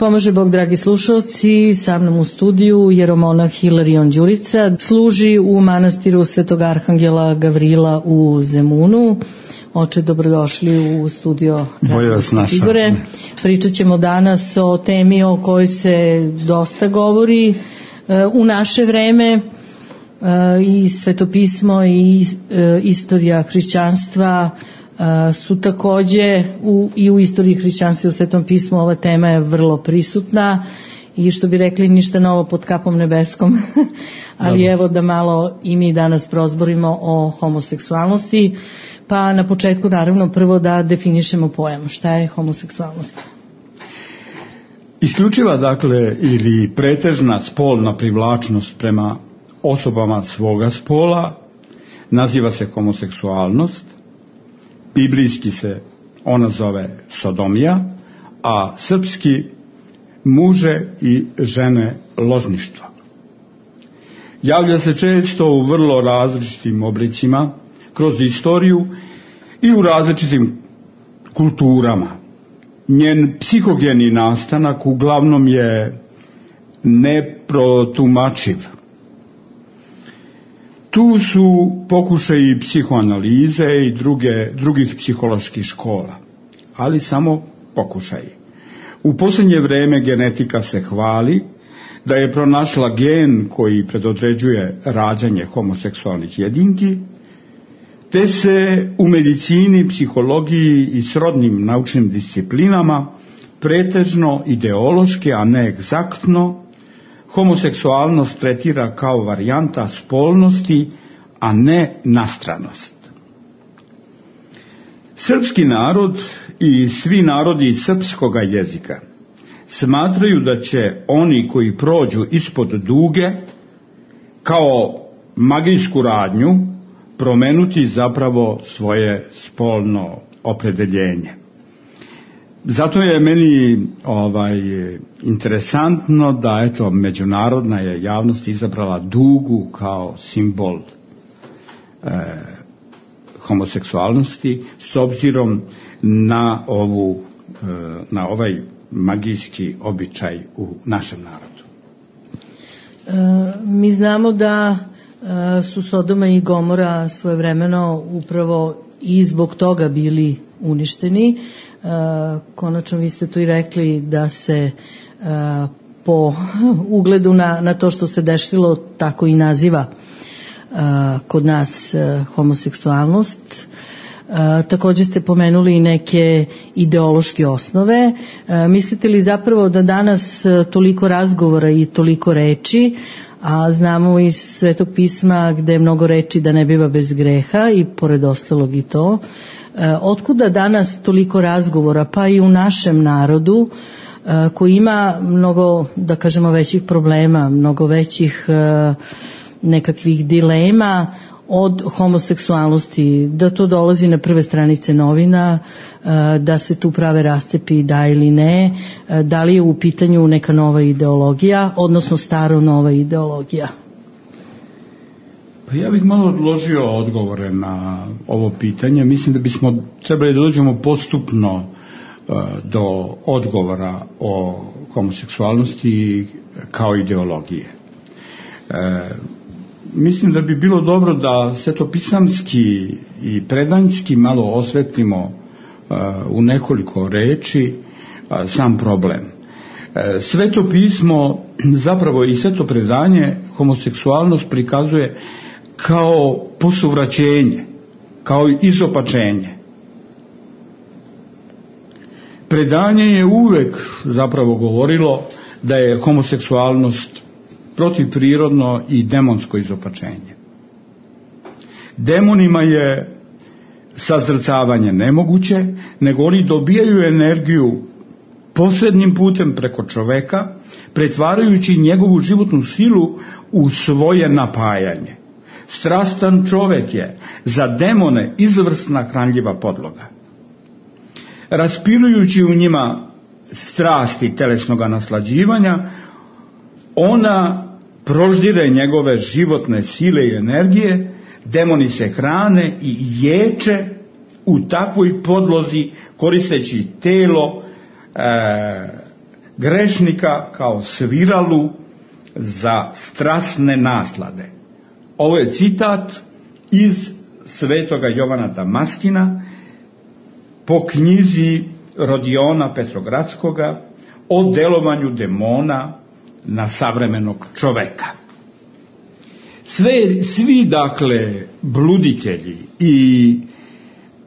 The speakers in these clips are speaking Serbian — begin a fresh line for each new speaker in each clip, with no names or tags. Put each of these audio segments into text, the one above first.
Pomaže Bog, dragi slušalci, sa mnom u studiju jeromonah Hilarion Đurica, služi u manastiru Svetog Arhangela Gavrila u Zemunu. Oče, dobrodošli u studio Igore. Pričat ćemo danas o temi o kojoj se dosta govori u naše vreme, i svetopismo i istorija hrišćanstva su takođe i u istoriji hrišćanstva i u Svetom pismu ova tema je vrlo prisutna i što bi rekli ništa novo pod kapom nebeskom, ali evo da malo i mi danas prozborimo o homoseksualnosti. Pa na početku naravno prvo da definišemo pojam. Šta je homoseksualnost?
Isključiva, dakle, ili pretežna spolna privlačnost prema osobama svoga spola naziva se homoseksualnost. Biblijski se ona zove sodomija, a srpski muže i žene ložništva. Javlja se često u vrlo različitim oblicima kroz istoriju i u različitim kulturama. Njen psihogeni nastanak uglavnom je neprotumačiv. Tu su pokušaji psihoanalize i drugih psiholoških škola, ali samo pokušaji. U posljednje vreme genetika se hvali da je pronašla gen koji predodređuje rađanje homoseksualnih jedinki, te se u medicini, psihologiji i srodnim naučnim disciplinama pretežno ideološki, a ne egzaktno, homoseksualnost tretira kao varijanta spolnosti, a ne nastranost. Srpski narod i svi narodi srpskoga jezika smatraju da će oni koji prođu ispod duge kao magijsku radnju promenuti zapravo svoje spolno opredeljenje. Zato je meni interesantno da međunarodna je javnost izabrala dugu kao simbol homoseksualnosti s obzirom na ovaj magijski običaj u našem narodu.
Mi znamo da su Sodoma i Gomora svojevremeno upravo i zbog toga bili uništeni. Konačno vi ste tu i rekli da se po ugledu na to što se desilo tako i naziva kod nas homoseksualnost. Također ste pomenuli i neke ideološke osnove. Mislite li zapravo da danas toliko razgovora i toliko reči, a znamo iz Svetog pisma gde je mnogo reči da ne biva bez greha i pored ostalog i to, otkuda danas toliko razgovora, pa i u našem narodu koji ima mnogo, da kažemo, većih problema, mnogo većih nekakvih dilema od homoseksualnosti, da to dolazi na prve stranice novina, da se tu prave rascepi da ili ne, da li je u pitanju neka nova ideologija, odnosno staro nova ideologija?
Pa ja bih malo odložio odgovore na ovo pitanje. Mislim da bismo trebali da dođemo postupno do odgovora o homoseksualnosti kao ideologije. Mislim da bi bilo dobro da svetopisamski i predanjski malo osvetlimo u nekoliko reči sam problem. Sveto pismo, zapravo i sveto predanje, homoseksualnost prikazuje kao posuvraćenje, kao izopačenje. Predanje je uvek zapravo govorilo da je homoseksualnost protivprirodno i demonsko izopačenje. Demonima je sazrcavanje nemoguće, nego oni dobijaju energiju posrednim putem preko čoveka, pretvarajući njegovu životnu silu u svoje napajanje. Strastan čovek je za demone izvrsna hranljiva podloga. Raspirujući u njima strasti telesnog naslađivanja, ona proždire njegove životne sile i energije, demoni se hrane i ječe u takvoj podlozi koristeći telo grešnika kao sviralu za strasne naslade. Ovo je citat iz svetoga Jovana Damaskina po knjizi Rodiona Petrogradskoga o delovanju demona na savremenog čoveka. Svi dakle bluditelji i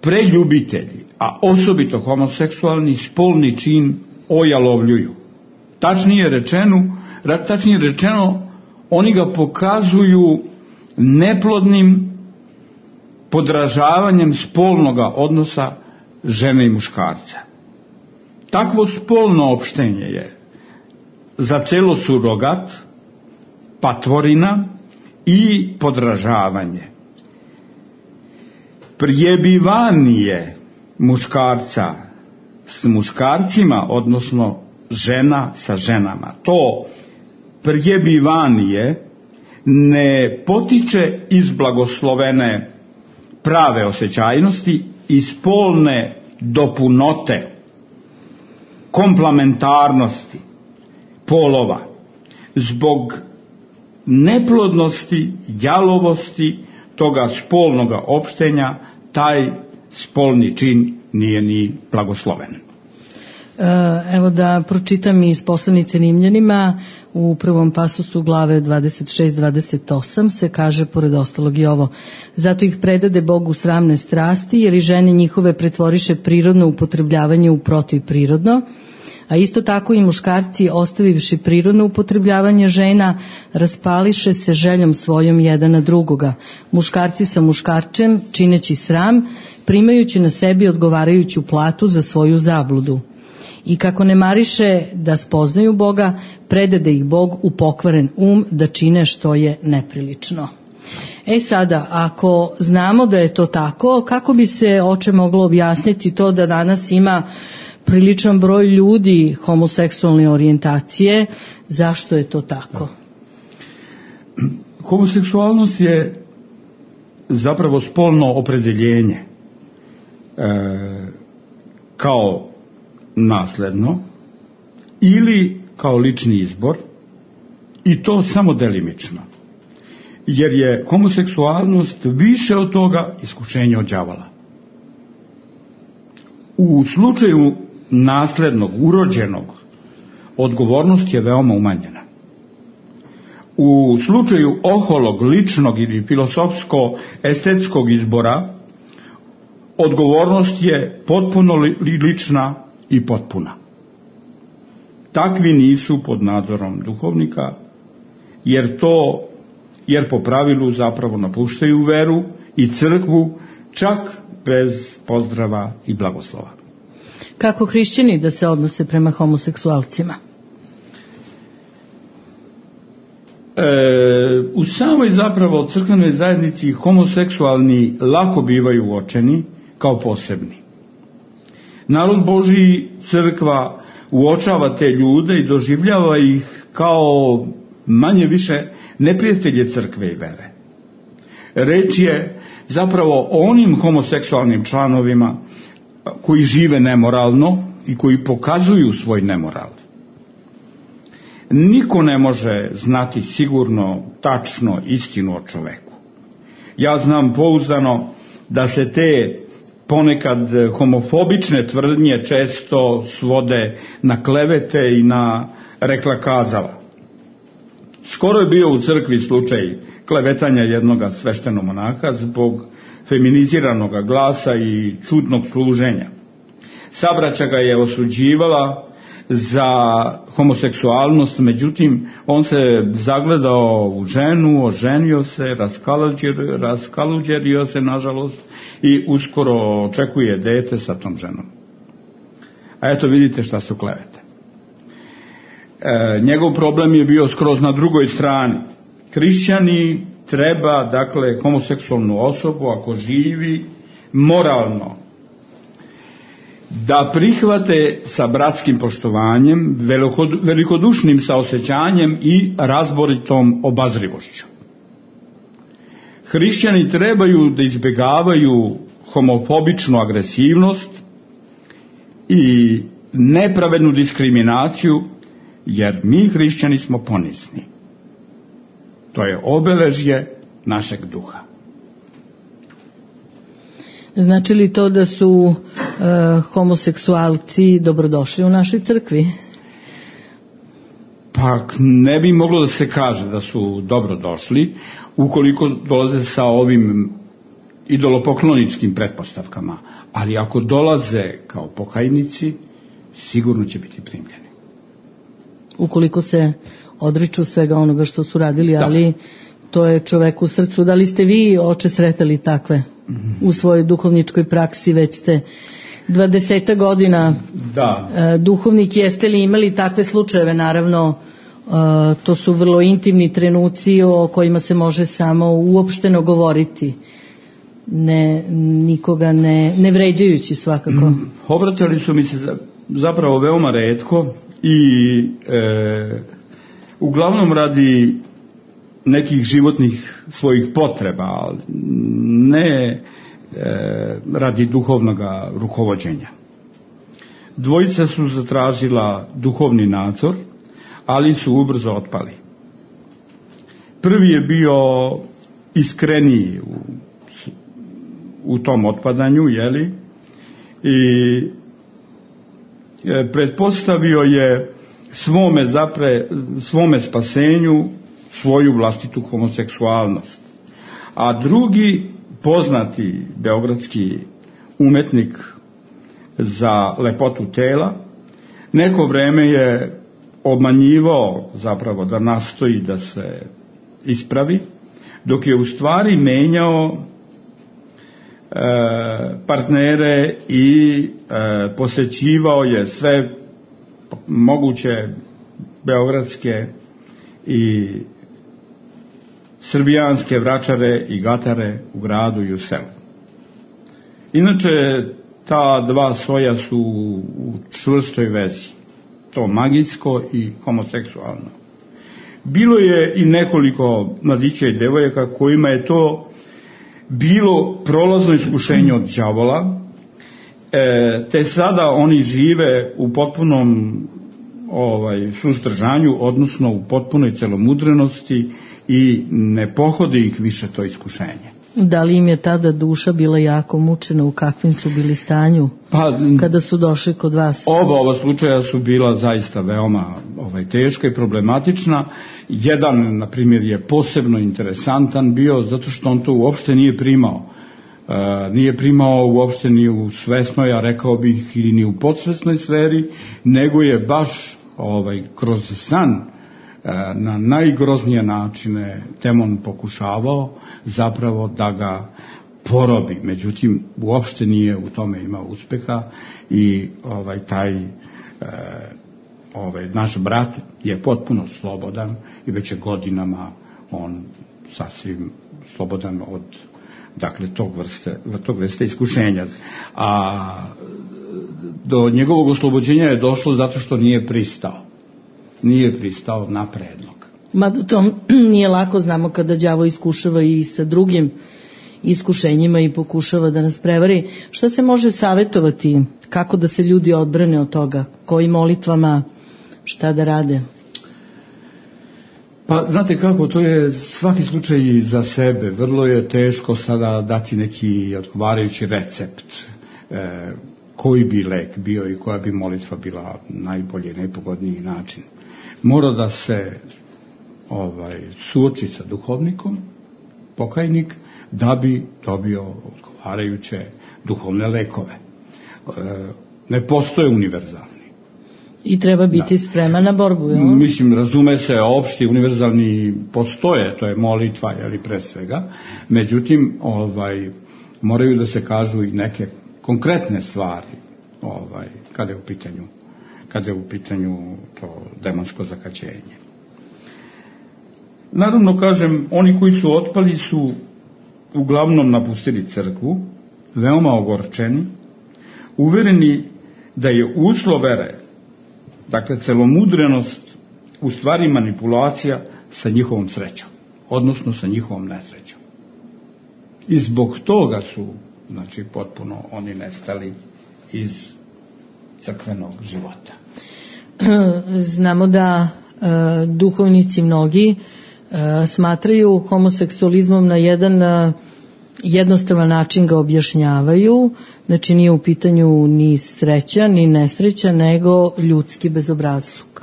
preljubitelji, a osobito homoseksualni, spolni čin ojalovljuju. Tačnije rečeno, oni ga pokazuju neplodnim podražavanjem spolnoga odnosa žene i muškarca. Takvo spolno opštenje je za celo surogat, patvorina i podražavanje. Prijebivanje muškarca s muškarcima, odnosno žena sa ženama. To prijebivanje ne potiče iz blagoslovene prave osjećajnosti i spolne dopunote, komplementarnosti polova. Zbog neplodnosti, jalovosti toga spolnoga opštenja, taj spolni čin nije ni blagosloven.
Evo da pročitam iz poslanice Rimljanima, u prvom pasusu glave 26-28 se kaže pored ostalog i ovo: zato ih predade Bogu sramne strasti, jer i žene njihove pretvoriše prirodno upotrebljavanje u protivprirodno, a isto tako i muškarci, ostavivši prirodno upotrebljavanje žena, raspališe se željom svojom jedan na drugoga, muškarci sa muškarčem, čineći sram, primajući na sebi odgovarajuću platu za svoju zabludu. I kako ne mariše da spoznaju Boga, predade ih Bog u pokvaren da čine što je neprilično. Sada, ako znamo da je to tako, kako bi se oče moglo objasniti to da danas ima priličan broj ljudi homoseksualne orijentacije? Zašto je to tako?
Homoseksualnost je zapravo spolno opredeljenje kao nasledno ili kao lični izbor, i to samo delimično, jer je homoseksualnost više od toga iskušenje od đavola. U slučaju naslednog, urođenog, odgovornost je veoma umanjena. U slučaju oholog, ličnog ili filosofsko-estetskog izbora, odgovornost je potpuno lična i potpuna. Takvi nisu pod nadzorom duhovnika, jer po pravilu zapravo napuštaju veru i crkvu, čak bez pozdrava i blagoslova.
Kako hrišćani da se odnose prema homoseksualcima?
U samoj zapravo crkvenoj zajednici homoseksualni lako bivaju uočeni kao posebni. Narod Božji, crkva uočava te ljude i doživljava ih kao manje više neprijatelje crkve i vere. Reč je zapravo o onim homoseksualnim članovima koji žive nemoralno i koji pokazuju svoj nemoral. Niko ne može znati sigurno, tačno istinu o čoveku. Ja znam pouzdano da se te ponekad homofobične tvrdnje često svode na klevete i na rekla kazala. Skoro je bio u crkvi slučaj klevetanja jednog sveštenog monaha zbog feminiziranog glasa i čudnog služenja. Sabraća ga je osuđivala za homoseksualnost, međutim on se zagledao u ženu, oženio se, raskaluđerio se nažalost i uskoro očekuje dete sa tom ženom. A eto vidite šta su klevete. Njegov problem je bio skroz na drugoj strani. Hrišćani treba, dakle, homoseksualnu osobu, ako živi moralno, da prihvate sa bratskim poštovanjem, velikodušnim saosećanjem i razboritom obazrivošću. Hrišćani trebaju da izbjegavaju homofobičnu agresivnost i nepravednu diskriminaciju jer mi hrišćani smo ponizni. To je obeležje našeg duha.
Znači li to da su homoseksualci dobrodošli u našoj crkvi?
Pa ne bi moglo da se kaže da su dobrodošli ukoliko dolaze sa ovim idolopokloničkim pretpostavkama, ali ako dolaze kao pokajnici, sigurno će biti primljeni.
Ukoliko se odriču svega onoga što su radili, ali to je čoveku u srcu. Da li ste vi, oče, sretali takve u svojoj duhovničkoj praksi? Već ste 20 godina duhovnik. Jeste li imali takve slučajeve? Naravno, to su vrlo intimni trenuci o kojima se može samo uopšteno govoriti, nikoga ne vređajući svakako.
Obratili su mi se zapravo veoma retko i uglavnom radi nekih životnih svojih potreba, ne radi duhovnog rukovođenja. Dvojica su zatražila duhovni nadzor, ali su ubrzo otpali. Prvi je bio iskreniji u tom otpadanju, jeli, i pretpostavio je svome spasenju svoju vlastitu homoseksualnost. A drugi, poznati beogradski umetnik za lepotu tela, neko vreme je obmanjivao zapravo da nastoji da se ispravi, dok je u stvari menjao partnere i posećivao je sve moguće beogradske i srbijanske vračare i gatare u gradu i u selu. Inače, ta dva svoja su u čvrstoj vezi, to magijsko i homoseksualno. Bilo je i nekoliko mladića i devojaka kojima je to bilo prolazno iskušenje od đavola, te sada oni žive u potpunom suzdržanju, odnosno u potpunoj celomudrenosti i ne pohodi ih više to iskušenje.
Da li im je tada duša bila jako mučena, u kakvim su bili stanju kada su došli kod vas?
Ova slučaja su bila zaista veoma teška i problematična. Jedan, na primjer, je posebno interesantan bio zato što on to uopšte nije primao. Nije primao uopšte ni u svesnoj, a rekao bih i ni u podsvesnoj sferi, nego je baš kroz san na najgroznije načine demon pokušavao zapravo da ga porobi. Međutim, uopšte nije u tome imao uspeha i taj naš brat je potpuno slobodan i već je godinama on sasvim slobodan od tog vrste iskušenja. A do njegovog oslobođenja je došlo zato što nije pristao na predlog.
Mada to nije lako, znamo kada đavo iskušava i sa drugim iskušenjima i pokušava da nas prevari. Šta se može savjetovati? Kako da se ljudi odbrane od toga? Kojim molitvama? Šta da rade?
Pa znate kako, to je svaki slučaj za sebe. Vrlo je teško sada dati neki odgovarajući recept. Koji bi lek bio i koja bi molitva bila najbolji i najpogodniji način. Mora da se suoči sa duhovnikom, pokajnik, da bi dobio odgovarajuće duhovne lekove. Ne postoje univerzalni.
I treba biti spreman na borbu, jel?
Mislim, razume se, opšti, univerzalni postoje, to je molitva, jeli, pre svega. Međutim, moraju da se kažu i neke konkretne stvari, kada je u pitanju to demonsko zakaćenje. Naravno, kažem, oni koji su otpali su uglavnom napustili crkvu, veoma ogorčeni, uvereni da je uslov vere, dakle celomudrenost, u stvari manipulacija sa njihovom srećom, odnosno sa njihovom nesrećom. I zbog toga su, potpuno oni nestali iz crkvenog života.
znamo da duhovnici mnogi smatraju homoseksualizmom na jedan jednostavan način ga objašnjavaju, znači nije u pitanju ni sreća ni nesreća, nego ljudski bezobrazluk.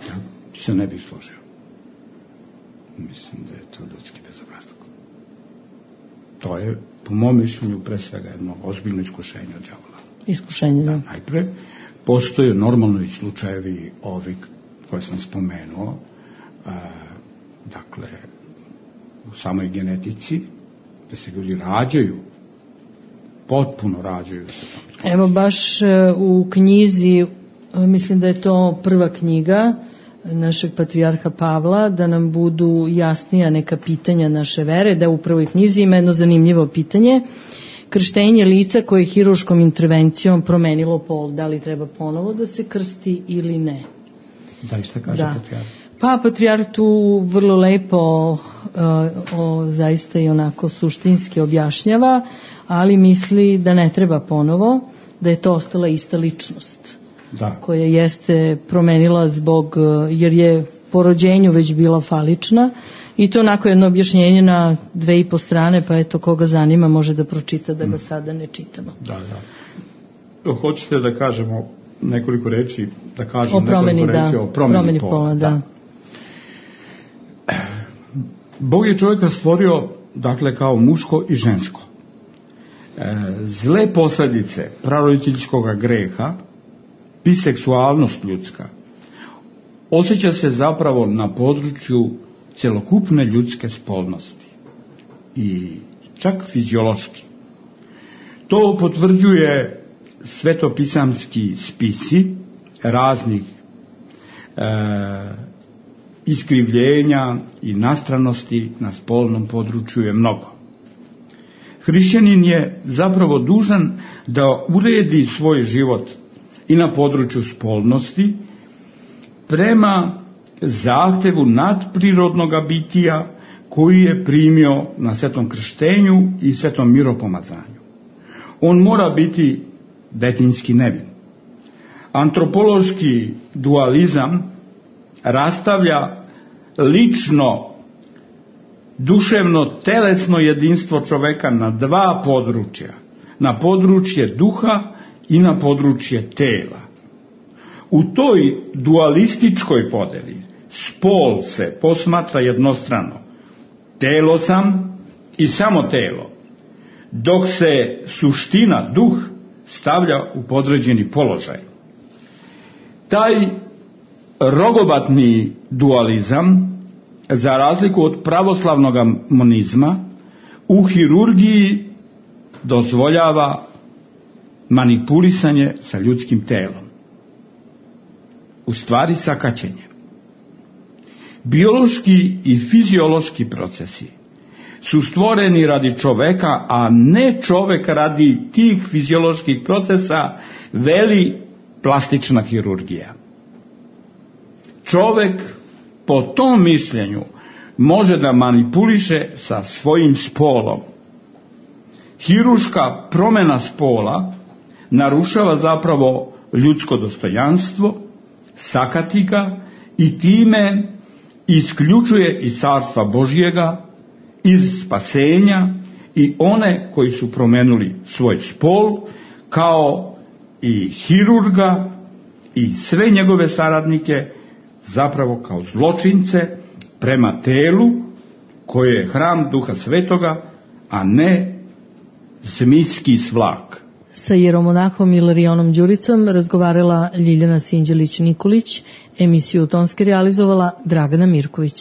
Ja se ne bih složio. Mislim da je to ljudski bezobrazluk. To je, po mom mišljenju, pre svega jedno ozbiljno iskušenje od đavola.
Iskušenje, da.
Najpre, postoje normalno i slučajevi ovi koje sam spomenuo, dakle, u samoj genetici, da se ljudi rađaju, potpuno rađaju.
Evo baš u knjizi, mislim da je to prva knjiga našeg patrijarha Pavla, da nam budu jasnija neka pitanja naše vere, da u prvoj knjizi ima jedno zanimljivo pitanje. Krštenje lica koje je hiruškom intervencijom promenilo pol, da li treba ponovo da se krsti ili ne?
Da li ste kaže patrijarh?
Pa patrijarh tu vrlo lepo zaista i onako suštinski objašnjava, ali misli da ne treba ponovo, da je to ostala ista ličnost. Da. Koja jeste promenila jer je po rođenju već bila falična, i to onako jedno objašnjenje na 2,5 strane, pa eto koga zanima može da pročita, da ga sada ne čitamo.
Da. Hoćete da kažemo nekoliko reči,
o promeni pola, da.
Bog je čovjeka stvorio, dakle, kao muško i žensko. Zle posljedice praroditeljskog greha, biseksualnost ljudska, osjeća se zapravo na području celokupne ljudske spolnosti i čak fiziološki. To potvrđuje svetopisamski spisi raznih iskrivljenja i nastranosti na spolnom području je mnogo. Hrišćanin je zapravo dužan da uredi svoj život i na području spolnosti prema zahtevu nadprirodnog bitija koji je primio na svetom krštenju i svetom miropomazanju. On mora biti detinjski nevin. Antropološki dualizam rastavlja lično, duševno, telesno jedinstvo čoveka na 2 područja. Na područje duha i na područje tela. U toj dualističkoj podeli spol se posmatra jednostrano. Telo sam i samo telo. Dok se suština, duh, stavlja u podređeni položaj. Taj rogobatni dualizam, za razliku od pravoslavnog monizma, u hirurgiji dozvoljava manipulisanje sa ljudskim telom. U stvari sakaćenje. Biološki i fiziološki procesi su stvoreni radi čoveka, a ne čovek radi tih fizioloških procesa, veli plastična hirurgija. Čovek po tom mišljenju može da manipuliše sa svojim spolom. Hiruška promena spola narušava zapravo ljudsko dostojanstvo, sakati ga i time isključuje iz carstva Božjega, iz spasenja i one koji su promenuli svoj spol, kao i hirurga i sve njegove saradnike, zapravo kao zločince prema telu koje je hram Duha Svetoga, a ne zmijski svlak.
Sa jeromonahom Ilarijonom Đuricom razgovarala Ljiljana Sinđelić-Nikolić, emisiju tonski realizovala Dragana Mirković.